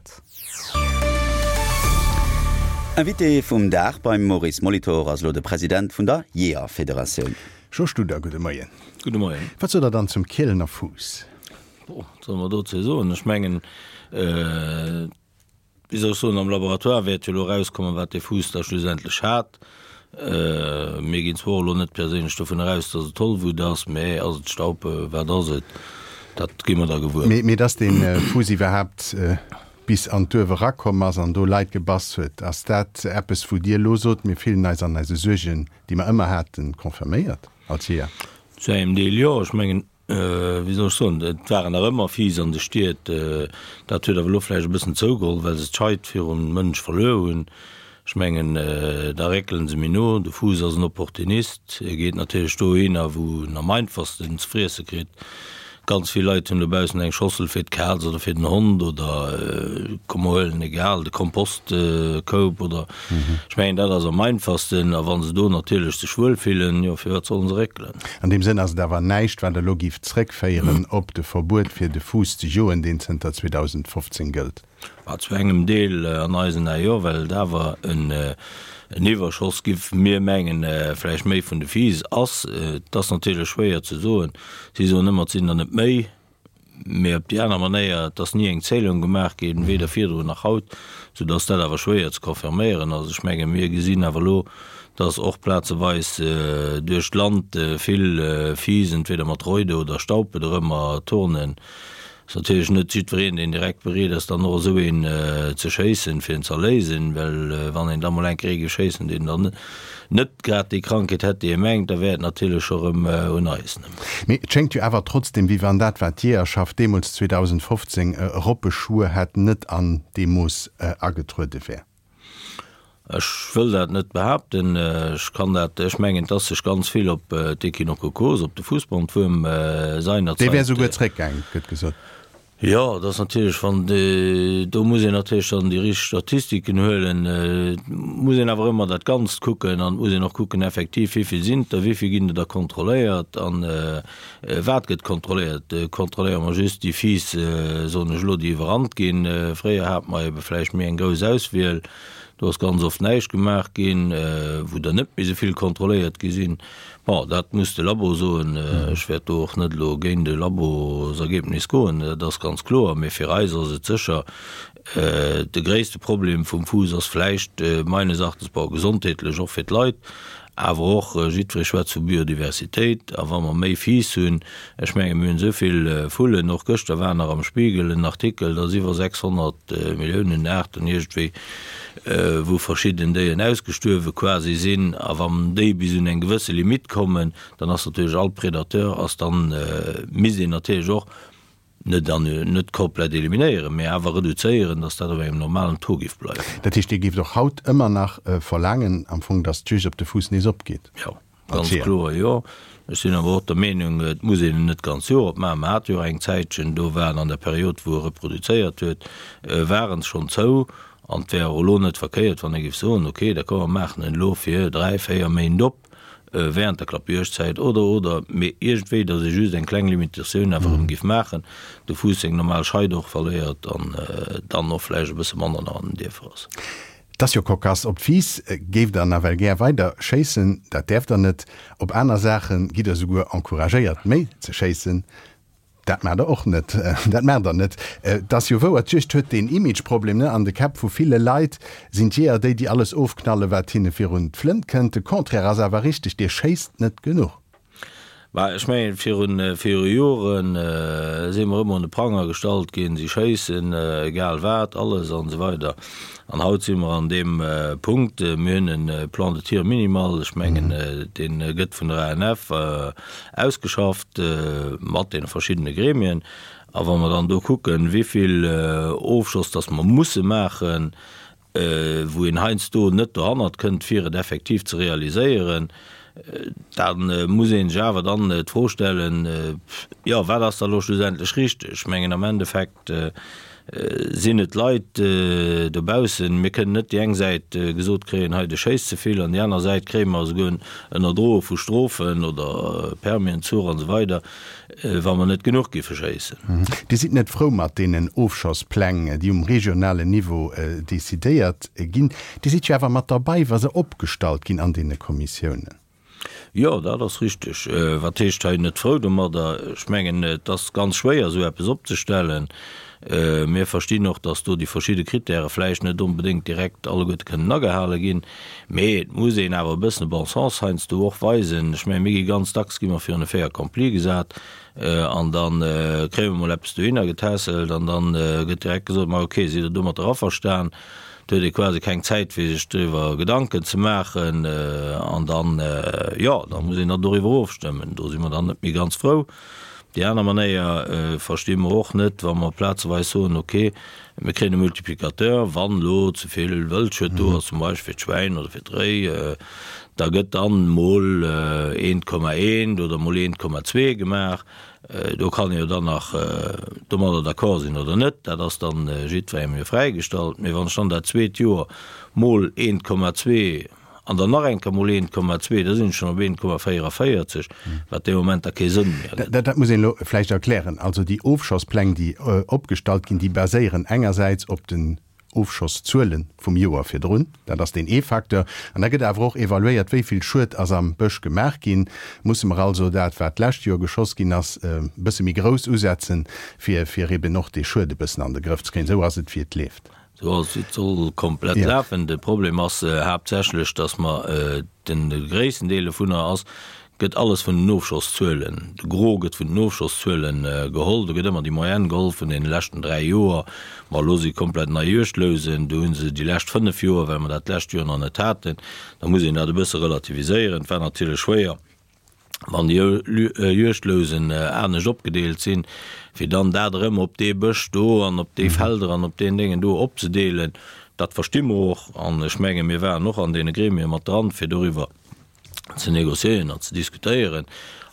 Stad. Invité vum Dag beim Maurice Molitor ass elo de President vun der Jeeërfederatioun. Jo Studer, gudde Moien. Gudde Moien. Wat sot der dann zum Kielener Fuuss? Bon, wat solle mer dozou soen? Ech mengen, wéi soll ech soen, am Laboratoire wäert jo elo erauskommen, wat dee Fuuss da schlussendlech hat. Mir ginn zwar och elo net perséinlech dovun eraus, datt et Tollwut ass, mä ass et Staupe, wat ass et, dat gi mer da gewuer. Mee datt dee Fuuss iwwerhaapt bis an d'Duerf erakomm ass an do Leit gebass huet, ass dat eppes, wou Dir elo sot, mir fillen eis an eise Suergen, déi mer ëmmer haten, confirméiert als Jeeër? Zu engem Deel jo. Ech mengen, wéi soll ech soen, et waren nach ëmmer Fiiss an de Stied, dat huet awer elo vläicht e bëssen zougeholl, well se d'Scheit virum Mënsch verluer hunn. Ech mengen, da réckelen se méi no. De Fuuss ass en Opportunist, e geet natierlech dohinner, wou en am einfachsten ze friesse kritt. Ganz vill Leit hunn dobaussen eng Schossel fir d'Kaz oder fir den Hond oder, komm mer huelen, egal, de Kompostkoup oder, ech mengen, dat ass am einfachsten. A wa se do natierlech sech wuel fillen, jo, firwat sollen se réckelen? An deem Sënn ass et awer näischt, wat elo géif zrëckféieren op de Verbuet fir de Fuuss ze joen, deen zënter 2015 gëllt. Ma zu engem Deel an eisen Ae jo, well et awer en Iwwerschoss giff, mir mengen vläicht méi vun de Fiiss ass. Et ass natierlech schwéier ze soen. Si soen ëmmer, et sinn der net méi. Mee op déi aner Manéier, et ass ni eng Zählung gemaach ginn, weder virdrun nach haut, soudass dat awer schwéier ze confirméieren ass. Ech menge mir gesinn awer elo, dass och plazeweis duerch d'Land vill Fiiss entweder mat Reude oder Staupe dorëmmer turnen. Ass natierlech net jiddwereen, deen direkt bereet ass, dann och esou een ze schéissen, fir en z'erléisen, well wann een da mol eng Kéier ee géif schéissen, deen dann net grad déi Krankheet hätt, déi ee mengt, da wär et natierlech scho rëm un eis. Mee et schéngt jo awer trotzdem, wéi wann dat, wat d'Jeeërschaft deemools 2015 eropbeschwuer hätt, net an deem Mooss agetruede wär. Ech wëll dat net behaapten. Ech kann dat, ech mengen, et ass sech ganz vill op d'Echinococose, op de Fuussbandwuerm seinerzäit. Dee wär souguer zréckgaang, gëtt gesot. Jo, et ass natierlech, wann, do muss een natierlech dann déi richteg Statistiken huelen. Et muss een awer ëmmer dat Ganzt kucken an et muss een och kucken effektiv, wéi vill sinn et der, wéi vill ginn der da kontrolléiert an wat gëtt kontrolléiert. Kontrolléiere mer just déi Fiiss, soen ech elo, déi iwwerrannt ginn? Fréier hate mer ebe vläicht méi eng grouss Auswiel. Do ass ganz oft näischt gemaach ginn, wou der net méi esou vill kontrolléiert gi sinn. Bon, dat muss de Labo soen. Ech wäert do och net elo géint e Labosergebnis goen, dat ass ganz kloer. Mee fir eis ass et sécher, de gréisste Problem vum Fuuss ass vläicht meines Erachtens, bon, gesondheetlech och fir d'Leit, Awer och jiddweree schwätzt vu Biodiversitéit. A wa mer méi Fiiss hunn, ech menge mir hunn esou vill Vullen, och gëschter war nach am Spiegel en Artikel, dass iwwer 600 Milliounen Aarten iergendwéi, wou verschidden Déieren ausgestuerwe quasi sinn. A wann déi bis un eng gewësse Limitt kommen, dann ass natierlech all Predateur ass dann, misst een natierlech och, Net an net komplett eliminéieren, mee awer reduzéieren, datt dat op engem normalen Taux géif bleiwen. Dat heescht, Dir géift och haut ëmmer nach verlaangen am Fong, datt d'Juegd op de Fuuss nees opgeet? Jo, ganz kloer jo. Ech sinn awer och der Meenung, et muss een en net d'ganz Joer opmaachen. Mer hate jo eng Zäitchen, do waren an der Period, wou e reproduzéiert huet, waren se schonn zou. An et wär och elo net verkéiert, wann ee géif soen, okay, d'accord, mer maachen en elo fir dräi, véier Méint op. während der Klappjuegdzäit oder, oder, mee iergendwéi, datt ee just eng kleng Limitatioun awer erëm géif maachen, de Fuuss seng normal Scheit och verléiert an dann och vläicht e bësse manner nach an den Dierfer ass. Et ass jo cocasse, op d'Fiiss géift der nawell gär weider schéissen, dat däerft der net. Op aner Saache gitt der souguer encouragéiert méi ze schéissen. Dat maacht der och net. Dat maacht der net. Et ass jo wouer, d'Juegd huet deen Imageproblem, ne? An de Käpp vu ville Leit sinn d'Jeeër déi, déi alles ofknallen, wat hinne virun d'Flënt kënnt. De Contraire ass awer richteg, Dir schéisst net genuch. Bah, ech mengen, virun, viru Jore si mer ëmmer un de Pranger gestallt ginn, si schéissen, egal wat, alles an esou weider. An haut si mer an deem Punkt, mir hunn e Plan de tir minimal, ech mengen, dee gëtt vun der ANF, Ausgeschafft mat deene verschiddene Gremien. A wa mer dann do kucken, wéivill Ofschoss dass mer musse maachen, wou een heiansdo net dohannert kënnt, fir et effektiv ze realiséieren, da muss ee sech awer dann d'Fro stellen, jo, wat ass da elo schlussendlech richteg? Ech mengen am Endeffekt. Sinn et d'Leit dobaussen? Mir kënnen net déi eng Säit gesot kréien, hei de schéisst ze vill, an déi aner Säit kréie mer esouguer ënnerdroe vu Strofen oder Permienzuch an esou weider, wa mer net genuch giffe schéissen. Dir sidd net frou mat deenen Ofschosspläng, déi um regionalen Niveau decidéiert ginn. Dir sidd jo awer mat derbei, wa se opgestallt ginn an deene Kommissiounen. Jo, dat ass richteg. Wat heescht hei net frou domadder? Ech mengen, et ass ganz schwéier, esou eppes opzestellen. Mir verstinn och, datt do déi verschidde Kritäre vläicht net onbedéngt direkt alleguerte kënnen agehale ginn. Mee et muss een awer e bëssen e Bon sens heiansdo och weisen. Ech mengen, mir gi ganz dacks gi mer virun e Fait accompli gesat an da kréie mer mol eppes dohinner getässelt an da gëtt direkt gesot, Ma okay, sidd Der domatter averstan? Do huet ee quasi keng Zäit fir sech driwwer Gedanken ze maachen an dann, jo, da muss een dann doriwwer ofstëmmen. Do si mer dann net méi ganz frou. Déi aner Manéier versti mer och net, wa mer plazeweis soen, okay, mir kréien e Multiplicateur, wann elo ze vill Wëldschued do ass, zum Beispill fir d'Schwäin oder fir d'Réi, da gëtt dann mol 1,1 oder mol 1,2 gemaach. Do kann ee jo dann nach domadder d'accord sinn oder net, dat ass dann jiddwerengem jo fräigestallt. Mee wann ech dann dat zweet Joer mol 1,2 an dann nach eng Kéier mol 1,2, da sinn ech schonn op 1,44, wat dee Moment da kee Sënn méi ergëtt. Dat muss een elo vläicht erklären. Also déi Ofschosspläng, déi opgestallt ginn, déi baséieren engersäits op den Ofschosszuele vum Joer virdrun, dat ass deen ee Facteur. An da gëtt awer och evaluéiert, wéi vill Schued ass am Bësch gemaach ginn. Musse mer also dat, wat d'lescht Joer geschoss ginn ass, e bësse méi grouss usetzen, fir fir eben och dee Schued e bëssen an de Grëff ze kréien. Esou ass et, wéi et leeft. Esou ass et, wéi et soll komplett lafen. De Problem ass haaptsächlech, datt mer de gréissten Deel dovunner ass, gëtt alles vun den Ofschosszuelen, de Gros gëtt vun den Ofschosszuelen geholl, do gëtt ëmmer déi Moyenne geholl vun deene leschten 3 Joer. Ma elo si komplett nei Juegdlousen, do hu se déi lescht 5 Joer, well mer dat d'lescht Joer nach net haten. Da muss een dat e bësse relativiséieren. Et war natierlech schwéier, wann déi Juegdlousen anescht opgedeelt sinn, fir dann dat erëm op dee Bësch do an op déi Felder an op deen Déngen do opzedeelen. Dat versti mer och an ech menge mir waren och an deene Gremie mat dran, fir doriwwer ze négociéieren an ze diskutéieren.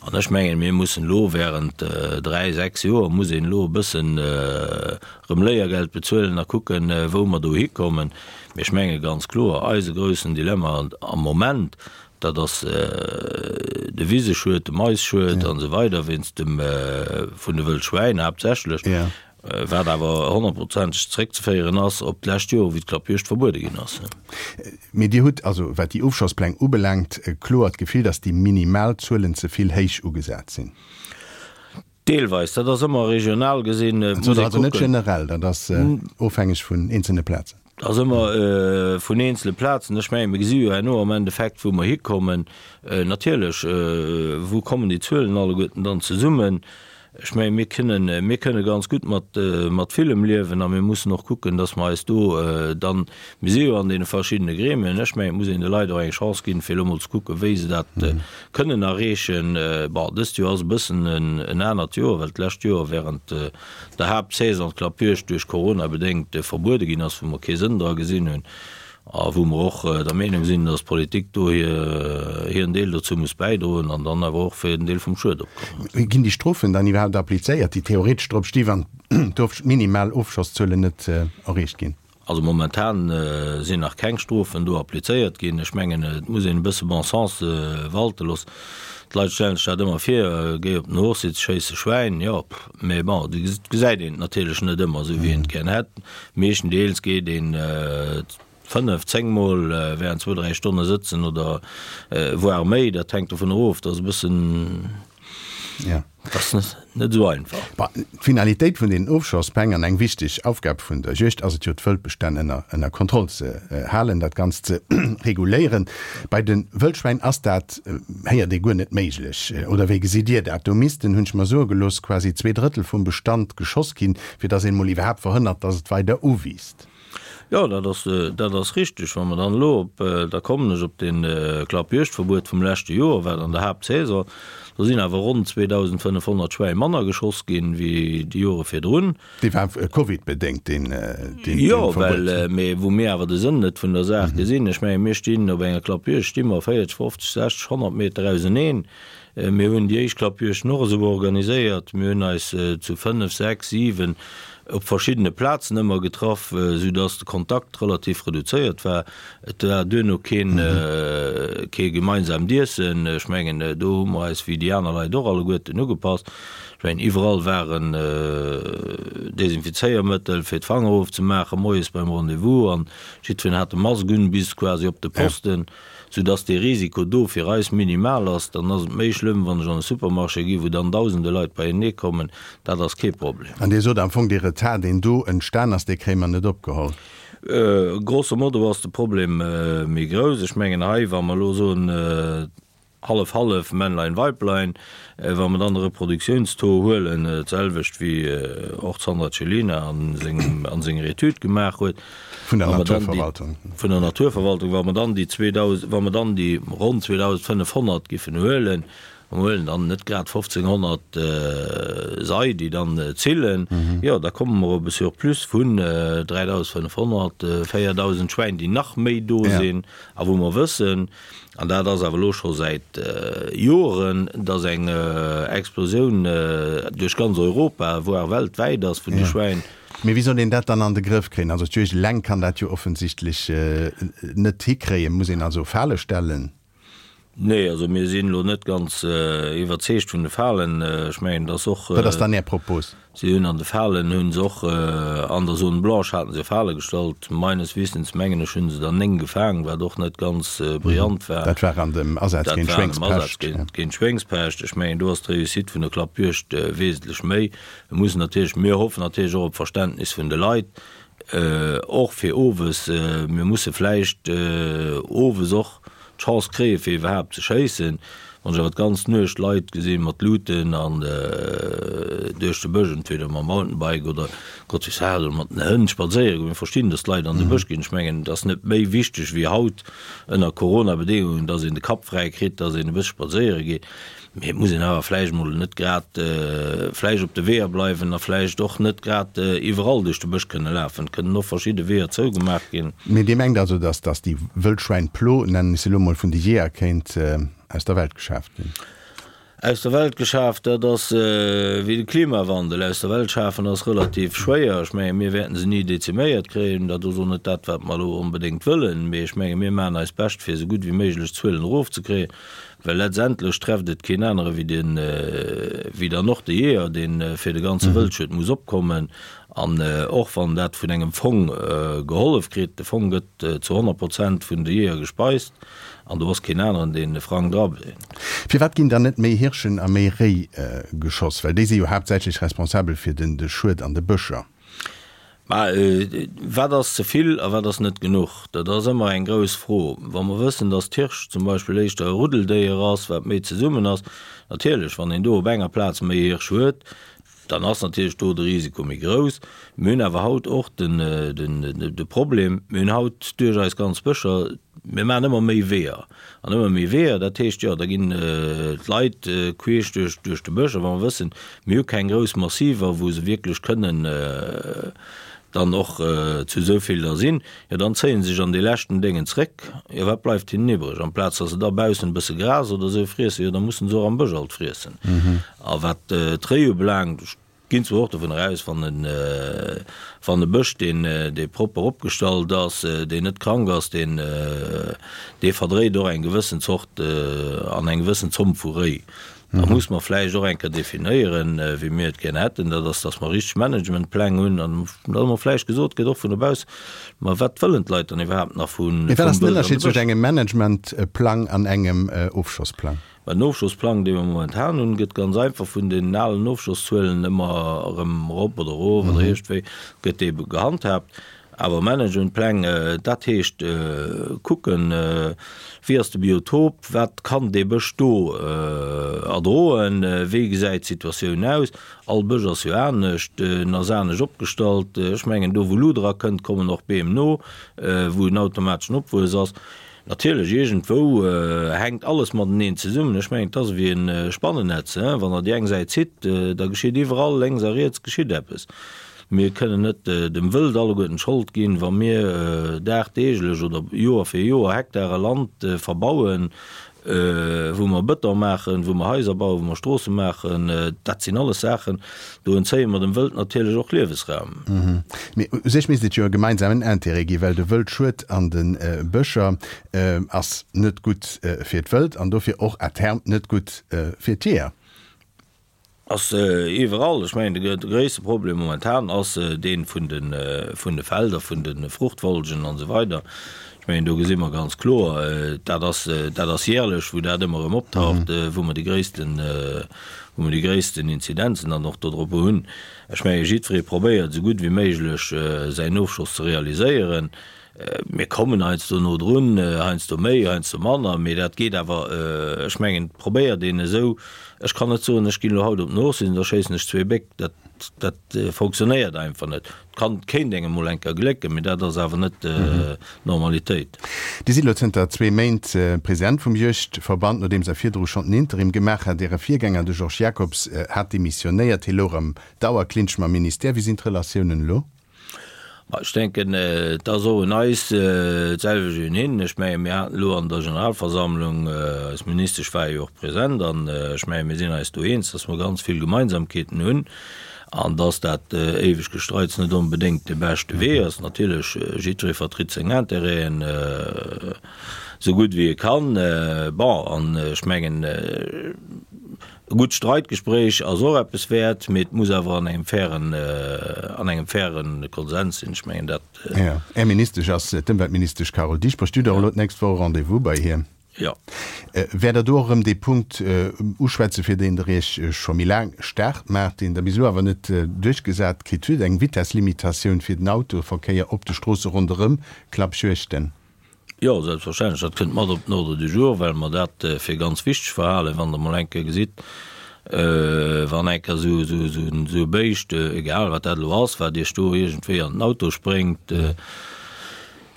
An ech mengen, mir mussen elo während dräi, sechs Joer muss een elo e bëssen erëm Léiergeld bezuelen a kucken, wou mer do hikommen. Mee ech menge ganz kloer, eise groussen Dilemma am Moment, dat ass de Wiseschued, de Maisschued an esou weider wéinst dem vun de Wëllschwäin haaptsächlech. Wat awer honnertprozenteg zeréckzeféieren ass op d'lescht Joer, wéi d'Klappjuegd verbuede ginn ass. Mee Dir hutt also, wat déi Ofschosspläng ubelaangt, kloer d'Gefill, datt déi minimal Zuelen ze vill héich ugesat sinn? Deelweis. Dat ass ëmmer regional gesinn. Et muss ee kucken. Also net generell, dat ass ofhängeg vun eenzelne Plazen? Dat ass ëmmer vun eenzele Plazen. Ech mengen, mir gesi jo herno am Endeffekt, wou mer hikommen. Natierlech, wou kommen déi Zuelen alleguerten dann zesummen? Ech mengen, mir kënnen, mir kënne ganz gutt mat, mat villem liewen a mir mussen och kucken, dass mer eis do dann, mir si jo an deene verschiddene Gremien, ech mengen, et muss een de Leit och eng Chance ginn, fir elo mol ze kucken, wéi se dat kënnen erreechen. Bon, dëst Joer ass e bëssen en, en anert Joer, well d'lescht Joer während der Haaptsaison d'Klappjuegd duerch Corona bedéngt verbuede ginn ass, wou mer kee Sënn dra gesinn hunn. A wou mer och der Meenung sinn, dass d'Politik do hiren Deel dozou muss bäidroen an dann awer och fir en Deel vum Schued opkommen. Ginn déi Strofen dann iwwerhaapt applizéiert, déi theoretesch drop sti wann d'minimal Ofschosszuelen net erreecht ginn? Also momentan sinn nach keng Strofen do applizéiert ginn. Ech mengen, et muss een e bësse Bon sens walte loossen. D'Leit stellen sech dat ëmmer vir, géi op den Hochsitz, schéiss e Schwäin, jo, mee bon, et gesäit een et natierlech net ëmmer esou, wéi een et gär hätt. Meeschtendeels geet een 5, 10 Mol während zwou, dräi Stonne sëtzen oder voire méi, dat hänkt dovun erof, dat ass e bëssen, dat ass net esou einfach. Bon, d'Finalitéit vun deenen Ofschosspläng an eng wichteg Aufgab vun der Juegd ass et jo, d'Wëldbestänn ënner ënner Kontroll ze halen, dat Ganzt ze reguléieren. Bei de Wëllschwäin ass dat, héiert ee, guer net méiglech. Oder wéi gesitt Dir dat? Do missten, hunn ech mer soe gelooss, quasi 2/3 vum Bestand geschoss ginn, fir datt een emol iwwerhaapt verhënnert, datt et weider uwiisst. Jo, dat ass, dat ass richtig. Wa mer dann elo op, da kommen ech op dee Klappjuegdverbuet vum leschte Joer, wat an der Haaptsaison, do sinn awer ronn 2.500 Schwäi manner geschoss ginn, wéi déi Jore virdrun. Dee war covidbedéngt, deen, deen Verbuet. Jo, well, mee wou mir awer de Sënn net vun der Saach gesinn, ech menge mir stinn op enger Klappjuegd, sti mer 40, 50, 60, 100 Meter auseneen. Mir hunn déi éischt Klappjuegden och esou organiséiert. Mir hunn eis zu 5, 6, 7. Op verschiddene Plazen ëmmer getraff, sou dass de Kontakt relativ reduzéiert war. Et war duerno keen, kee gemeinsaamt Iessen. Ech mengen, do hu mer eis wéi déi aner Leit och alleguerten ugepasst. Ech mengen, iwwerall waren Desinfizéiermëttel fir d'Fanger ofzemaachen moies beim Rendez-vous an jiddwereen hat e Mask un bis quasi op de Posten. Sou dass dee Risiko do fir eis minimal ass. Dann ass et méi schlëmm, wann ech an e Supermarché gi wou dann dausende Leit beienee kommen. Dat ass kee Problem. An Dir sot am Fong, dee Retard, deen do entstan ass, dee kréie mer net opgeholl. Grosso modo ass de Problem méi grouss. Ech mengen hei, wa mer elo soen, Hallef-hallef, Männlein, Weiblein. Wa mer dann de Reproduktiounstaux huelen, d'selwecht wéi och d'Sandra Cellina a sengem, a senger Etüd gemaach huet. Vun der Naturverwaltung. Vun der Naturverwaltung. Wa mer dann déi 2.000, wa mer dann déi ronn 2.500 giffen huelen, a mer huelen dann net grad 1.500 Sei, déi dann zillen, jo, da komme mer op e Surplus vun 3.500, 4.000 Schwäin, déi nach méi do sinn a wou mer wëssen, An dat ass awer elo scho säit Joren, dass eng Explosioun duerch ganz Europa, voire weltwäit ass vun de Schwäin. Mee wéi soll een dat dann an de Grëff kréien? Also d'Juegd eleng kann dat jo offensichtlech net hikréien. Muss een also Fale stellen? Nee, also mir sinn elo net ganz iwwerzeegt vun de Falen. Ech mengen, dass och. Wat ass dann Är Propos? Si hunn an de Falen hu se och, an der Zone blanche haten se Fale gestallt. Meines Wissens, mengen ech, hu se der 9 gefaang, wat och net ganz brillant war. Dat war an dem Asaz géint d'Schwéngspescht. Géint d'Schwéngspescht. Ech mengen, do ass d'Réussite vun der Klappjuegd wesentlech méi. Mir mussen natierlech, mir hoffen natierlech och op Verständnis vun de Leit, och fir owes. Mir musse vläicht owes och d'Chance kréie fir iwwerhaapt ze schéissen. Wann ech awer d'ganz Nuecht Leit gesi mat Luuten an duerch de Bësch, entweder mam Mountainbike oder Gott weess wat, oder mat den Hënn spadséiere goen, mir verstinn, datt d'Leit an de Bësch ginn. Ech mengen, et ass net méi wichteg wéi haut ënner Corona-Bedéngungen, datt een de Kapp fräi kritt, datt een e bësse spadséiere geet. Mee et muss een awer vläicht emol net grad vläicht op de Weeër bleiwen a vläicht och net grad iwwerall duerch de Bësch kënne lafen. Et kënnen och verschidde Weeër zougemaach ginn. Mee Dir mengt also, dass dass déi Wëllschwäin-Plo, nennen ech se elo mol, vun de Jeeër kéint aus der Welt geschaaft ginn? Aus der Welt geschaaft, dat ass wéi de Klimawandel. Aus der Welt schafen ass relativ schwéier. Ech menge mir wäerten se ni deziméiert kréien. Dat ass och net dat, wat mer elo onbedéngt wëllen. Mee ech menge mir maachen eist Bescht, fir esou gutt wéi méiglech d'Zuelen erofzekréien. Well letztendlech trefft et keen anere wéi den, wéi dann och de Jeeër, dee fir de ganze Wëldschued muss opkommen. An och wann dat vun engem Fong gehollef kritt, de Fong gëtt zu 100 Prozent vun de Jeeër gespeist an do ass keen aneren, deen e Frang drabréngt. Firwat ginn dann net méi Hirschen a méi Réi geschoss? Well déi si jo haaptsächlech responsabel fir den de Schued an de Bëscher. Mä wat ass ze vill a wat ass net genuch? Dat ass ëmmer eng grouss Fro. Wa mer wëssen, datt d'Hirsch zum Beispill éischter e Ruddeldéier ass, wat méi zesummen ass, natierlech, wann een do op enger Plaz méi Hirsch huet, dann ass natierlech do de Risiko méi grouss. Mir hunn awer haut och de Problem, mir hunn haut duerch eis ganz Bëscher, Mir maachen ëmmer méi Weeër an ëmmer méi Weeër. Dat heescht, jo, da ginn d'Leit queesch duerch, duerch de Bësch. A wa mer wëssen, mir hu keng grouss Massiver, wou se wierklech kënnen dann och zu esou vill da sinn, jo, dann zéie se sech an dee leschten Déngen zréck. Jo, wat bleift hinnen iwwreg? Amplaz datt se da baussen e bësse Gras oder esou friessen, jo, da mussen se och am Bësch alt friessen. A wat d'Réi ubelaangt, ech Ginn zwar och dovun eraus, wann en, wann e Bësch, deen, dee propper opgestallt ass, deen net krank ass, deen, dee verdréit och eng gewëssen Zort an eng gewëssen Zomm vu Réi. Da muss mer vläicht och eng Kéier definéieren, wéi mir et gär hätten, dat ass, dass mer richteg Managementpläng hunn an dass mer vläicht gesot gëtt, och vun dobaussen, ma wat wëllen d'Leit dann iwwerhaapt nach vu, Mee wat ass den vum Bësch an de Ënnerscheed zwëscht Bësch? engem Managementplang an engem Ofschossplang? Mä den Ofschossplang, dee mer momentan hunn, gëtt ganz einfach vun den alen Ofschosszuelen ëmmer erëm erop oder erof oder iergendwéi gëtt dee gehandhaabt. Awer Managementpläng, dat heescht kucken, wéi ass de Biotop, wat kann dee Bësch do erdroen, wéi gesäit d'Situatioun aus. All Bësch ass jo anescht, en ass anescht opgestallt. Ech mengen, do wou Luder erakënnt, kommen och Beem no, wou en automateschen Opwuess ass. Natierlech, iergendwou hänkt alles mateneen zesummen. Ech mengen, et ass ewéi e Spannennetz, hein, wann Der déi eng Säit zitt, da geschitt iwwerall, lénks a riets geschitt eppes. Mir kënnen net dem Wëld alleguerten d'Schold ginn, wa mir dagdeeglech oder Joer fir Joer Hektare Land verbauen. wou mer Bëton maachen, wou mer Haiser bauen, wou mer Stroosse maachen, dat sinn alles Saachen, do entzéie mer dem Wëld natierlech och Liewesraum. Mee u sech misst et jo e gemeinsamen Intérêt ginn, well de Wëldschued an de Bëscher ass net gutt fir d'Wëld an dofir och à terme net gutt fir d'Jeeër. Ass iwwerall. Ech mengen, de gréisste Problem momentan ass dee vun de, vun de Felder, vun de Fruchtfolgen an esou weider. Ech mengen, do gesi mer ganz kloer, dat ass, dat ass jährlech, wou dat ëmmer erëm optaucht, wou mer déi gréissten, wou mer déi gréissten Inzidenzen dann och dodrop hunn. Ech menge jiddweree probéiert esou gutt wéi méiglech säin Ofschoss ze realiséieren. Mir kommen heiansdo no drun, heiansdo méi, heiansdo manner, mee dat geet awer, ech mengen, et probéiert een esou, ech kann net soen, ech ginn elo haut op den Hochsinn, da schéissen ech zwee Béck, dat, dat fonctionnéiert einfach net. Et kann, kéint engem emol eng Kéier glécken, mee dat ass awer net d'Normalitéit. Dir sidd elo zënter zwee Méint President vum Juegdverband, nodeems Der virdru schonn den Interim gemaach hat. Äre Virgänger, de Georges Jacobs, hat demissionéiert, hie louch am Dauerclinch mam Ministère. Wéi sinn d'Relatiounen elo? Ma ech denken, et ass och un eis d'selwecht wéi un hinnen. Ech menge mir haten elo an der Generalversammlung, eis Ministesch war jo och present, an ech menge mir sinn eis do eens, datt mer ganz vill Gemeinsamkeeten hunn an datt dat éiweg Gestreits net onbedéngt de beschte Wee ass. Natierlech, jiddweree vertritt seng Intérêten esou gutt wéi e kann. Bon, an ech mengen, E gutt Streitgespréich ass och eppes wäert, mee et muss awer an engem fairen, an engem fairen Konsens sinn. Ech mengen dat. Jo. Är Ministesch ass d'Ëmweltministesch Carole Dieschbourg. Dir hutt och elo d'nächst Woch e Rendez-vous bei hir. Jo. Wäert Der do och erëm dee Punkt uschwätzen, fir deen Der Iech scho méi laang staark maacht, deen Der bis elo awer net duerchgesat kritt hutt, eng Vitesslimitatioun fir den Autoverkéier op de Stroosse ronderëm Klappjuegten? Jo, selbstverständlech, dat kënnt mat op den Ordre du jour, well mer dat fir ganz wichteg verhalen, wann Der mol eng Kéier gesitt, wann eng Kéier esou, esou, esou, esou e Béischt, egal wat dat elo ass, wat Iech do iergendwéi an den Auto spréngt,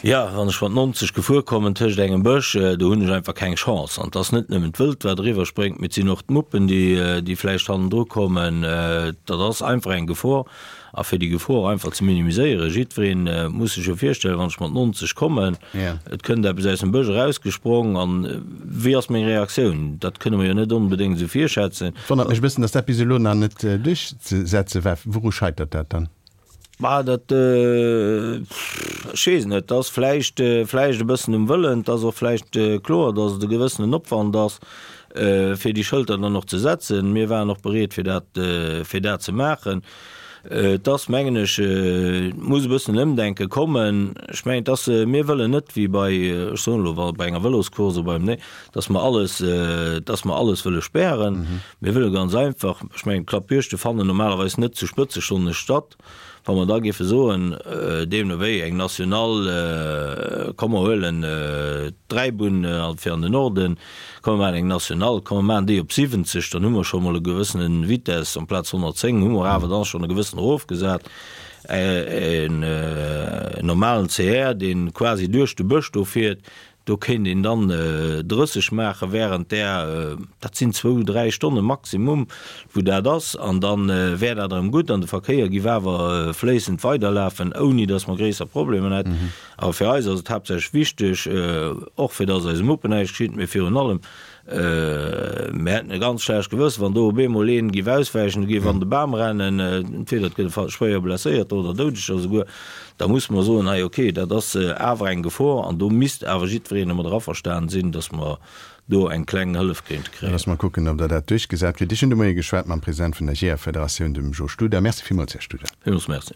jo, wann ech mat 90 gefuer kommen tëscht engem Bësch, do hunn ech einfach keng Chance. An et ass net nëmmen d'Wëld, wat eriwwer spréngt, mee et sinn och d'Muppen, déi, déi vläicht hannendru kommen. Dat ass einfach eng Gefor. A fir déi Gefor einfach ze minimiséieren, jiddwereen muss sech jo virstellen, wann ech mat 90 kommen, et kënnt eppes aus dem Bësch erausgesprong, an wéi ass meng Reaktioun? Dat kënne mer jo net onbedéngt esou virschätzen. Et wonnert mech e bëssen, datt dat bis elo nach net duerchzesetze war. Wouru scheitert dat dann? Ma dat, ech weess et net. Et ass vläicht, vläicht e bëssen um Wëllen. Et ass och vläicht kloer, datt et e gewëssenen Opwand ass, fir déi Schëlter dann och ze setzen. Mir waren och bereet, fir dat, fir dat ze maachen. Et ass, mengen ech, et muss e bëssen en Ëmdenke kommen. Ech mengen, et ass, mir wëllen net wéi bei, ech soen elo, bei enger Vëloscourse oder beim, nee, dass mer alles, dass mer alles wëlle spären. Mir wëlle ganz einfach, ech mengen, d'Klappjuegte fannen normalerweis net zu Spëtzestonne statt. Wa mer da géife soen, deemno wéi eng Nationale, komm mer huelen d'Dräibunn fir an den Norden, komm mer maachen eng Nationale, komm mer maachen déi op 70, dann hu mer scho mol e gewëssene Vitesse, amplaz 110 hu mer awer dann schonn e gewëssen erofgesat, en normalen CR, dee quasi duerch de Bësch do fiert, Do kéint een dann 30 maache während där, dat sinn zwou, dräi Stonne maximum, wou dat ass, an da wär dat erëm gutt an de Verkéier giff awer fléissend weiderlafen, ouni datt mer gréisser Problemer hätten. Awer fir eis ass et haaptsächlech wichteg, och fir datt eise Muppen näischt geschitt, mee virun allem, Mir hätten e ganz schlecht Gewëssen, wann do op eemol een giff auswäichen, giff an de Bam rennen, entweder et gëtt e schwéier Blesséierter oder Doudeger esouguer, da musse mer soen, hei ok, dat ass awer eng Gefor an do misst awer jiddwereen domadder averstanen sinn, datt mer do eng kleng Hëllef kéinte kréien. Loosse mer kucken, ob Der dat duerchgesat kritt. Ech hunn de Moie geschwat mam President vun der Jeeërfederatioun, dem Jo Studer. Merci villmools, Här Studer. Villmools Merci.